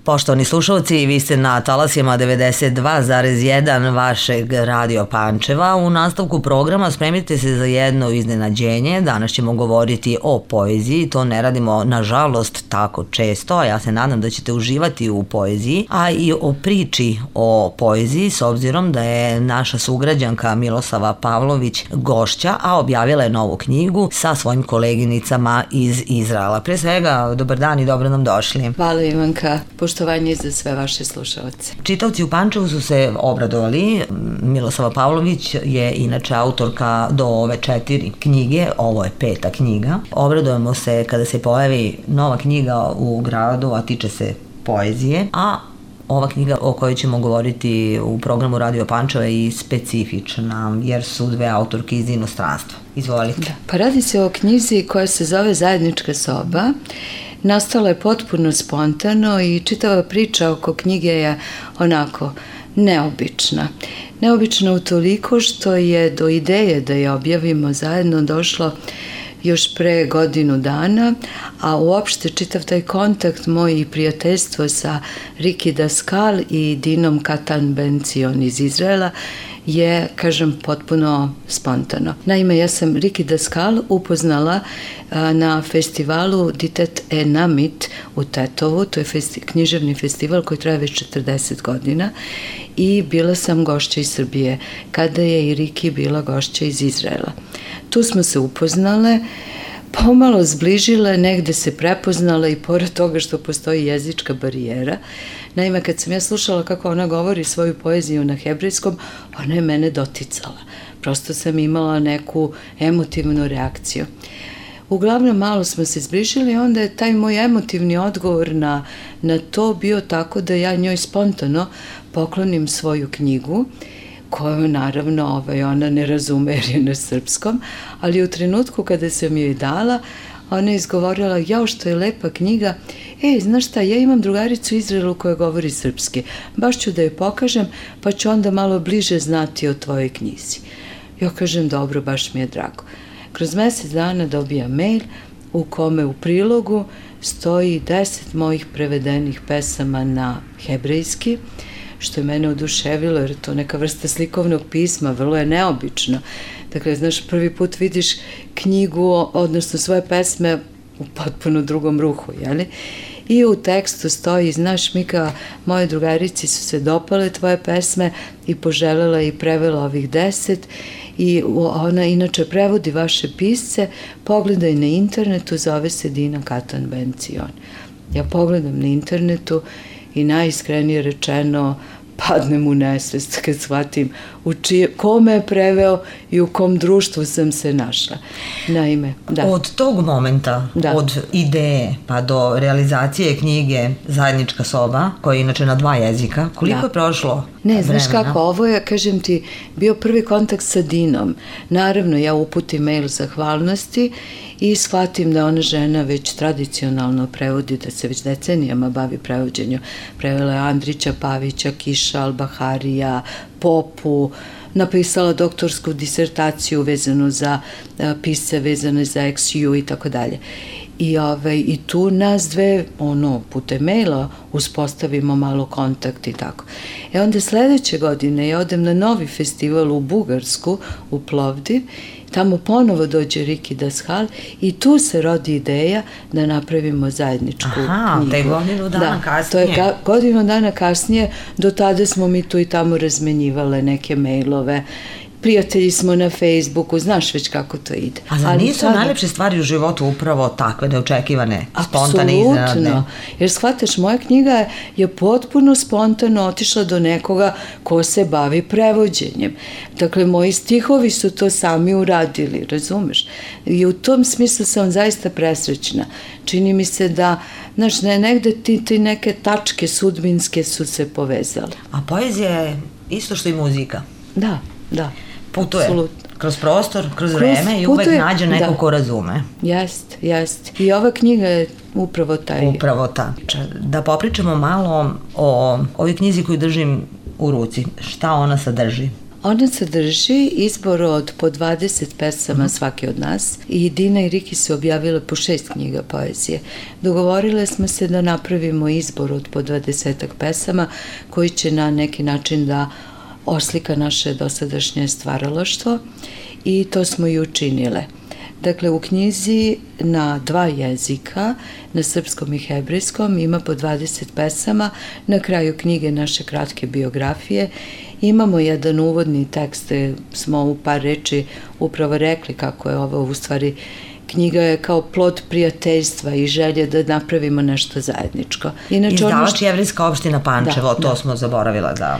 Poštovani slušalci, vi ste na talasima 92,1 vašeg Radio Pančeva. U nastavku programa spremite se za jedno iznenađenje. Danas ćemo govoriti o poeziji. To ne radimo, nažalost, tako često, a ja se nadam da ćete uživati u poeziji, a i o priči o poeziji, s obzirom da je naša sugrađanka Milosava Pavlović gošća, a objavila je novu knjigu sa svojim koleginicama iz Izraela. Pre svega, dobar dan i dobro nam došli. Hvala Ivanka, poštovanje za sve vaše slušalce. Čitaoci u Pančevu su se obradovali. Milosava Pavlović je inače autorka do ove 4 knjige, ovo je 5. knjiga. Obradujemo se kada se pojavi nova knjiga u gradu, a tiče se poezije, a ova knjiga o kojoj ćemo govoriti u programu Radio Pančeva je i specifična, jer su dve autorke iz inostranstva. Izvolite. Da. Pa radi se o knjizi koja se zove Zajednička soba. Nastala je potpuno spontano i čitava priča oko knjige je onako neobična. Neobična utoliko što je do ideje da je objavimo zajedno došlo još pre godinu dana, a uopšte čitav taj kontakt moj i prijateljstvo sa Riki Daskal i Dinom Katan Ben-Cion iz Izraela je, kažem, potpuno spontano. Naime, ja sam Riki Daskal upoznala na festivalu Ditet Enamit u Tetovu, to je književni festival koji traje već 40 godina i bila sam gošća iz Srbije, kada je i Riki bila gošća iz Izraela. Tu smo se upoznale, pomalo zbližile, negde se prepoznala i pored toga što postoji jezička barijera. Naime, kad sam ja slušala kako ona govori svoju poeziju na hebrejskom, ona je mene doticala. Prosto sam imala neku emotivnu reakciju. Uglavnom, malo smo se zbližili, onda je taj moj emotivni odgovor na to bio tako da ja njoj spontano poklonim svoju knjigu, koju naravno ona ne razume jer je na srpskom, ali u trenutku kada sam joj dala, ona je izgovorila, jao što je lepa knjiga, znaš šta, ja imam drugaricu u Izraelu koja govori srpski, baš ću da je pokažem, pa ću onda malo bliže znati o tvojoj knjizi. Ja kažem, dobro, baš mi je drago. Kroz mesec dana dobija mail u kome u prilogu stoji 10 mojih prevedenih pesama na hebrejski, što je mene oduševilo, jer je to neka vrsta slikovnog pisma, vrlo je neobično. Dakle, znaš, prvi put vidiš knjigu, odnosno svoje pesme u potpuno drugom ruhu, jeli? I u tekstu stoji, znaš, Mika, moje drugarici su se dopale tvoje pesme i poželela i prevela ovih 10 i ona inače prevodi vaše pisce, pogledaj na internetu, zove se Dina Katan Ben-Cion. Ja pogledam na internetu i najiskrenije rečeno padnem u nesvest kad shvatim kome je preveo i u kom društvu sam se našla. Naime, da. Od tog momenta, od ideje pa do realizacije knjige Zajednička soba, koja je inače na 2 jezika, koliko je prošlo vremena? Znaš kako, ovo je, kažem ti, bio prvi kontakt sa Dinom. Naravno, ja uputim mail zahvalnosti i shvatim da ona žena već tradicionalno prevodi, da se već decenijama bavi prevođenju. Prevela je Andrića Pavića, Kiša Al-Baharija, Popu, napisala doktorsku disertaciju vezanu za pisce, vezane za XU i tako dalje. I tu nas dve, putem maila uspostavimo malo kontakt i tako. Onda sledeće godine ja odem na novi festival u Bugarsku, u Plovdiv, tamo ponovo dođe Riki Daskal i tu se rodi ideja da napravimo zajedničku knjigu. To je godinu dana kasnije. To je godinu dana kasnije, do tada smo mi tu i tamo razmenjivale neke mailove, prijatelji smo na Facebooku, znaš već kako to ide. Ali nisu najlepše stvari u životu upravo takve neočekivane, spontane, iznenadne? Apsolutno, jer shvataš, moja knjiga je potpuno spontano otišla do nekoga ko se bavi prevođenjem. Dakle, moji stihovi su to sami uradili, razumeš? I u tom smislu sam zaista presrećna. Čini mi se da, znaš, negde ti neke tačke sudbinske su se povezale. A poezija je isto što i muzika. Da. Putuje Absolutno. Kroz prostor, kroz vreme i uvek nađe neko ko razume. Jeste. I ova knjiga je upravo taj. Upravo ta. Da popričamo malo o ovoj knjizi koju držim u ruci. Šta ona sadrži? Ona sadrži izbor od po 20 pesama svaki od nas i Dina i Riki su objavile po 6 knjiga poezije. Dogovorile smo se da napravimo izbor od po 20 pesama koji će na neki način da oslika naše dosadašnje stvaralaštvo i to smo i učinile. Dakle, u knjizi na 2 jezika, na srpskom i hebrejskom, ima po 20 pesama. Na kraju knjige naše kratke biografije imamo jedan uvodni tekst, smo u par reči upravo rekli kako je ovo u stvari knjiga je kao plod prijateljstva i želje da napravimo nešto zajedničko. Izdavač Jevrejska opština Pančevo, to smo zaboravila da...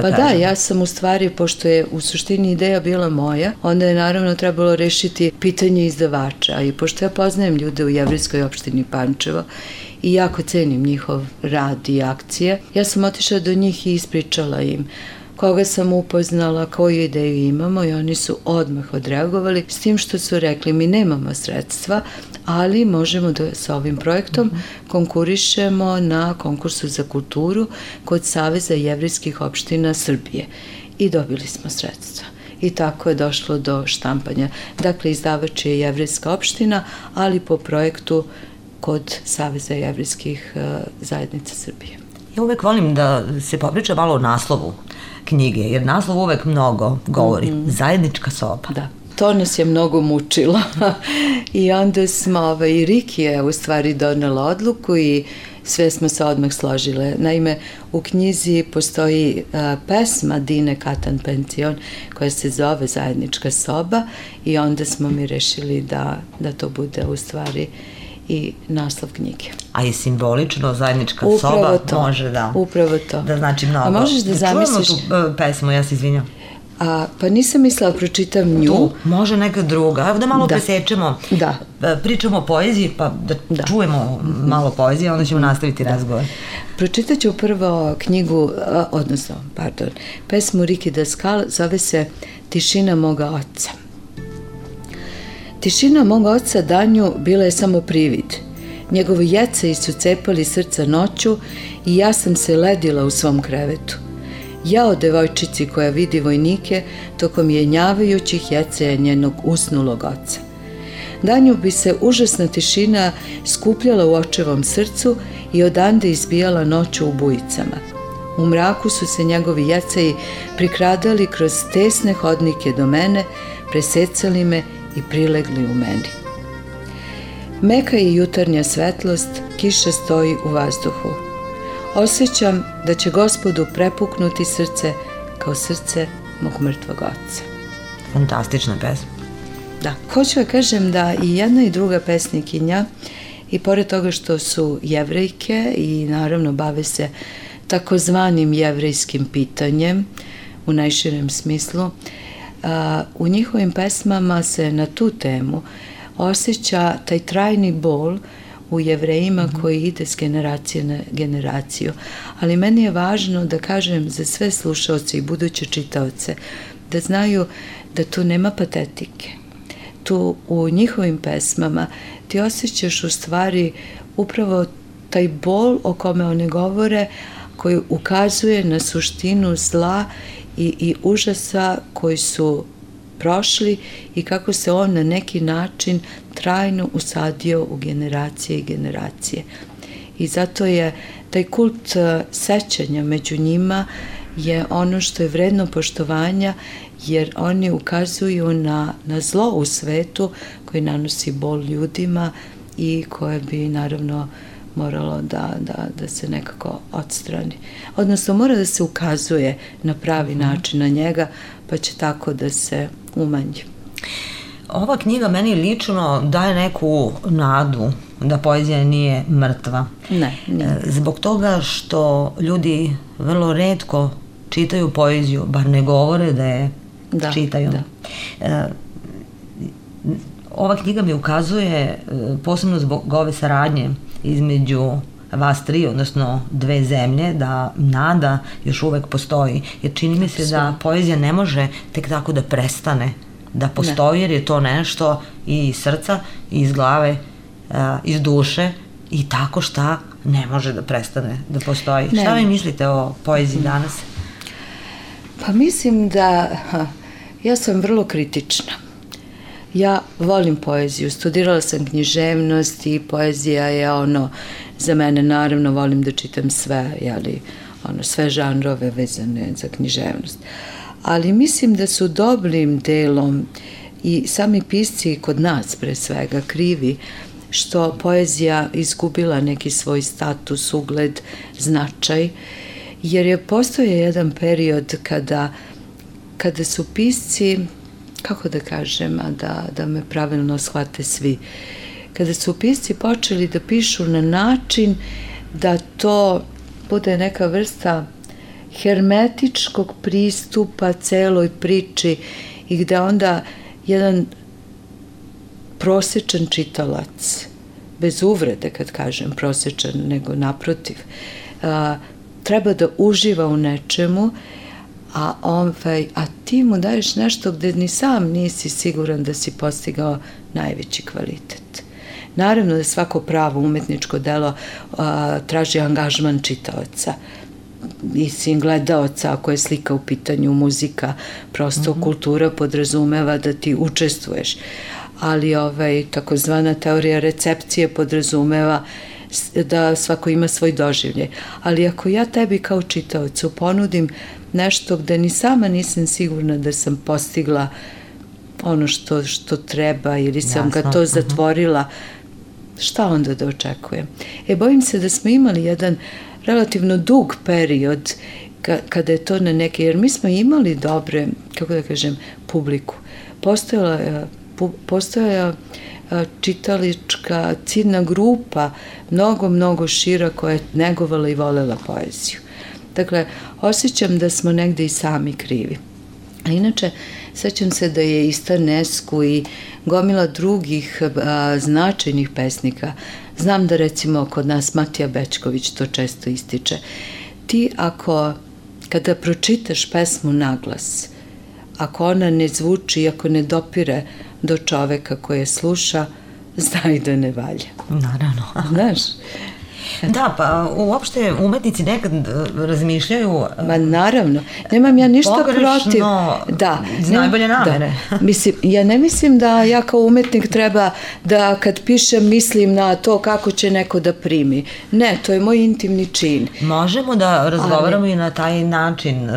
Da, ja sam u stvari, pošto je u suštini ideja bila moja, onda je naravno trebalo rešiti pitanje izdavača i pošto ja poznajem ljude u Jevrejskoj opštini Pančevo i jako cenim njihov rad i akcije, ja sam otišla do njih i ispričala im koga sam upoznala, koju ideju imamo i oni su odmah odreagovali s tim što su rekli mi nemamo sredstva, ali možemo da sa ovim projektom konkurišemo na konkursu za kulturu kod Saveza jevrejskih opština Srbije i dobili smo sredstva. I tako je došlo do štampanja. Dakle, izdavač je Jevrejska opština, ali po projektu kod Saveza jevrejskih zajednica Srbije. Ja uvek volim da se popriča malo o naslovu knjige, jer naslov uvek mnogo govori. Zajednička soba. Da. To nas je mnogo mučilo i onda smo, i Riki je u stvari donela odluku i sve smo se odmah složile. Naime, u knjizi postoji pesma Dine Katan Pension koja se zove Zajednička soba i onda smo mi rešili da to bude u stvari i naslov knjige. A i simbolično zajednička soba može da... Upravo to. Da znači mnogo. A možeš da zamisliš... Čujemo tu pesmu, ja se izvinjam. Pa nisam mislila da pročitam nju. Tu, može neka druga. Evo da malo presečemo. Da. Pričamo o poeziji, pa da čujemo malo poezije, onda ćemo nastaviti razgovor. Pročitat ću prvo knjigu, pesmu Riki Daskal, zove se Tišina moga oca. Tišina mog oca danju bila je samo privid. Njegovi jecaji su cepali srca noću i ja sam se ledila u svom krevetu. Jao devojčici koja vidi vojnike tokom jenjavajućih jecaja njenog usnulog oca. Danju bi se užasna tišina skupljala u očevom srcu i odande izbijala noću u bujicama. U mraku su se njegovi jecaji prikradali kroz tesne hodnike do mene, presecali me i prilegli u meni. Meka je jutarnja svetlost, kiša stoji u vazduhu. Osjećam da će Gospodu prepuknuti srce kao srce mog mrtvog oca. Fantastična pesma. Da, hoću da kažem da i jedna i druga pesnikinja, i pored toga što su jevrejke i naravno bave se takozvanim jevrejskim pitanjem u najširem smislu, u njihovim pesmama se na tu temu osjeća taj trajni bol u Jevrejima koji ide s generacije na generaciju. Ali meni je važno da kažem za sve slušaoce i buduće čitaoce da znaju da tu nema patetike. Tu u njihovim pesmama ti osjećaš u stvari upravo taj bol o kome one govore koji ukazuje na suštinu zla i užasa koji su prošli i kako se on na neki način trajno usadio u generacije i generacije. I zato je taj kult sećanja među njima je ono što je vredno poštovanja, jer oni ukazuju na zlo u svetu koji nanosi bol ljudima i koje bi naravno moralo da se nekako odstrani. Odnosno, mora da se ukazuje na pravi način na njega, pa će tako da se umanji. Ova knjiga meni lično daje neku nadu da poezija nije mrtva. Ne, nije. Zbog toga što ljudi vrlo retko čitaju poeziju, bar ne govore da je čitaju. Ova knjiga mi ukazuje, posebno zbog ove saradnje između vas tri, odnosno dve zemlje, da nada još uvek postoji. Jer čini mi se da poezija ne može tek tako da prestane da postoji, jer je to nešto i iz srca, i iz glave, iz duše, i tako šta ne može da prestane da postoji. Šta vi mislite o poeziji danas? Pa mislim da ja sam vrlo kritična. Ja volim poeziju, studirala sam književnost i poezija je za mene, naravno volim da čitam sve, sve žanrove vezane za književnost. Ali mislim da su dobrim delom i sami pisci kod nas pre svega krivi što poezija izgubila neki svoj status, ugled, značaj, jer je postoje jedan period kada su pisci, kako da kažem, da me pravilno shvate svi, kada su pisci počeli da pišu na način da to bude neka vrsta hermetičkog pristupa celoj priči i gde onda jedan prosečan čitalac, bez uvrede kad kažem prosečan, nego naprotiv, treba da uživa u nečemu, a ti mu daješ nešto gde ni sam nisi siguran da si postigao najveći kvalitet. Naravno da svako pravo umetničko delo traži angažman čitaoca, mislim gledaoca, ako je slika u pitanju, muzika, prosto kultura podrazumeva da ti učestvuješ, ali takozvana teorija recepcije podrazumeva da svako ima svoj doživljaj. Ali ako ja tebi kao čitaocu ponudim nešto gde ni sama nisam sigurna da sam postigla ono što treba ili sam ga to zatvorila, šta onda da očekujem? Bojim se da smo imali jedan relativno dug period kada je to na neke, jer mi smo imali dobre, kako da kažem, publiku. Postojala čitalička ciljna grupa, mnogo šira, koja je negovala i volela poeziju. Dakle, osjećam da smo negde i sami krivi. A inače, sećam se da je i Stanesku i gomila drugih značajnih pesnika. Znam da recimo kod nas Matija Bećković to često ističe. Ti kada pročitaš pesmu naglas, ako ona ne zvuči, ako ne dopire do čoveka koje sluša, znaj da ne valja. Naravno. Znaš? Da, pa uopšte umetnici nekad razmišljaju... Ma naravno, nemam ja ništa protiv. Da, iz najbolje namere. Mislim, ja ne mislim da ja kao umetnik treba da kad pišem mislim na to kako će neko da primi. Ne, to je moj intimni čin. Možemo da razgovaramo i na taj način.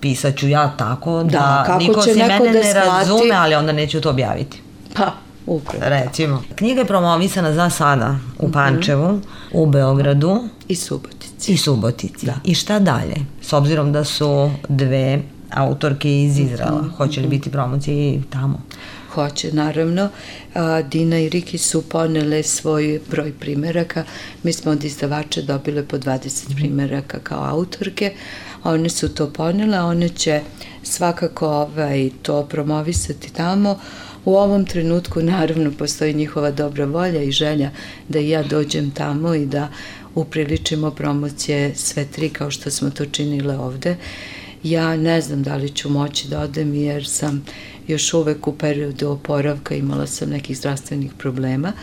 Pisaću ja tako da niko si mene ne razume, ali onda neću to objaviti. Pa, upravo. Recimo. Knjiga je promovisana za sada u Pančevu, u Beogradu i Subotici. Da. I šta dalje? S obzirom da su dve autorke iz Izraela, hoće li biti promocije i tamo? Hoće, naravno. Dina i Riki su ponele svoj broj primeraka. Mi smo od izdavača dobile po 20 primeraka kao autorke. One su to ponele, one će svakako to promovisati tamo. U ovom trenutku naravno postoji njihova dobra volja i želja da i ja dođem tamo i da upriličimo promocije sve tri kao što smo to činile ovde. Ja ne znam da li ću moći da odem jer sam još uvek u periodu oporavka, imala sam nekih zdravstvenih problema,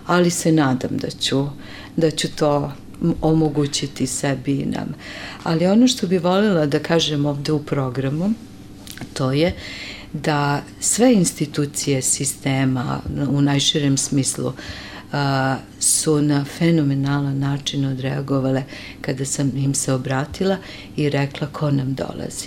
ali se nadam da ću to omogućiti sebi i nam. Ali ono što bi voljela da kažem ovde u programu, to je da sve institucije sistema u najširem smislu su na fenomenalan način odreagovale kada sam im se obratila i rekla ko nam dolazi.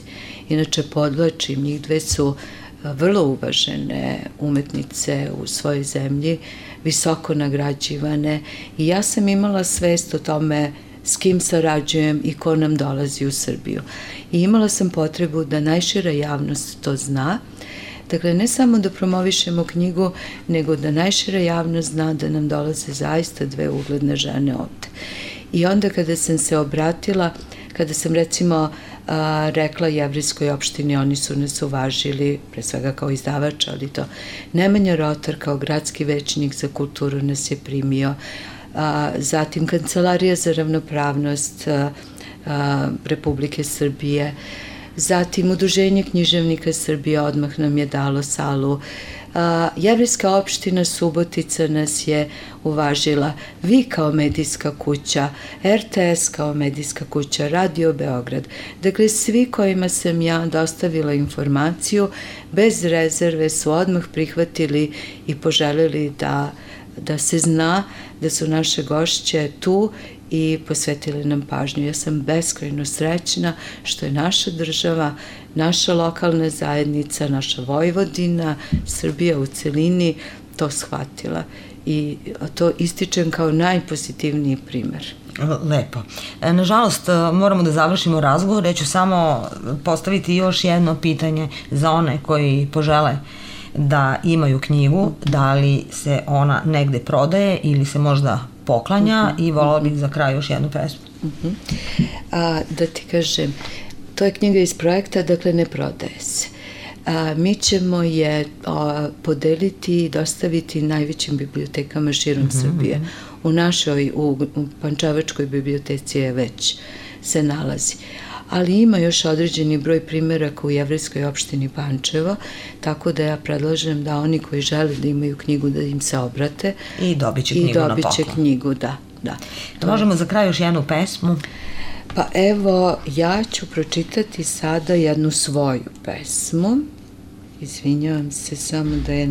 Inače, podvlačim, njih dve su vrlo uvažene umetnice u svojoj zemlji, visoko nagrađivane i ja sam imala svest o tome s kim sarađujem i ko nam dolazi u Srbiju. I imala sam potrebu da najšira javnost to zna. Dakle, ne samo da promovišemo knjigu, nego da najšira javnost zna da nam dolaze zaista dve ugledne žene ovde. I onda kada sam se obratila, kada sam recimo rekla Jevrejskoj opštini, oni su nas uvažili, pre svega kao izdavač, ali to Nemanja Rotar kao gradski većnik za kulturu nas je primio, zatim Kancelarija za ravnopravnost Republike Srbije, zatim Udruženje književnika Srbije odmah nam je dalo salu, Jevrejska opština Subotica nas je uvažila, vi kao medijska kuća, RTS kao medijska kuća, Radio Beograd. Dakle, svi kojima sam ja dostavila informaciju, bez rezerve su odmah prihvatili i poželeli da se zna da su naše gošće tu i posvetili nam pažnju. Ja sam beskrajno srećna što je naša država, naša lokalna zajednica, naša Vojvodina, Srbija u celini to shvatila i to ističem kao najpozitivniji primer. Lepo. Nažalost, moramo da završimo razgovor, ja ću samo postaviti još jedno pitanje za one koji požele da imaju knjigu, da li se ona negde prodaje ili se možda poklanja i volala bih za kraj još jednu pesmu. Da ti kažem, to je knjiga iz projekta, dakle ne prodaje se. Mi ćemo je podeliti i dostaviti najvećim bibliotekama širom Srbije. U našoj, u Pančevačkoj biblioteci je već se nalazi. Ali ima još određeni broj primeraka u Jevrejskoj opštini Pančevo, tako da ja predlažem da oni koji žele da imaju knjigu da im se obrate. I dobit će knjigu na poklon. I dobit će knjigu, da. Možemo za kraj još jednu pesmu? Pa evo, ja ću pročitati sada jednu svoju pesmu. Izvinjavam se samo da je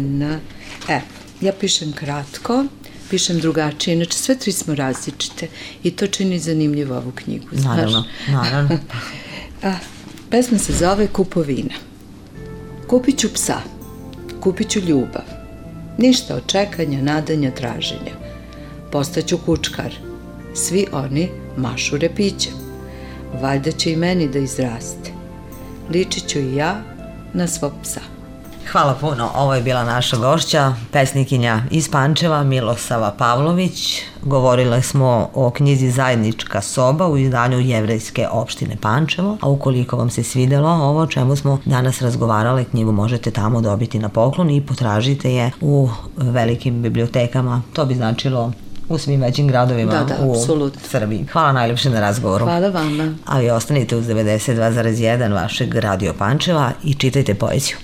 ja pišem kratko, pišem drugačije, inače sve tri smo različite i to čini zanimljivo ovu knjigu, znaš? Naravno. Pesma se zove Kupovina. Kupit ću psa, kupit ću ljubav, ništa od čekanja, nadanja, traženja. Postaću kučkar, svi oni mašu repićem, valjda će i meni da izraste. Ličit ću i ja na svog psa. Hvala puno, ovo je bila naša gošća, pesnikinja iz Pančeva, Milosava Pavlović. Govorile smo o knjizi Zajednička soba u izdanju Jevrejske opštine Pančevo, a ukoliko vam se svidelo ovo o čemu smo danas razgovarale, knjigu možete tamo dobiti na poklon i potražite je u velikim bibliotekama, to bi značilo u svim većim gradovima u Srbiji. Hvala najljepše na razgovoru. Hvala vama. A vi ostanite uz 92,1 vašeg Radio Pančeva i čitajte poeziju.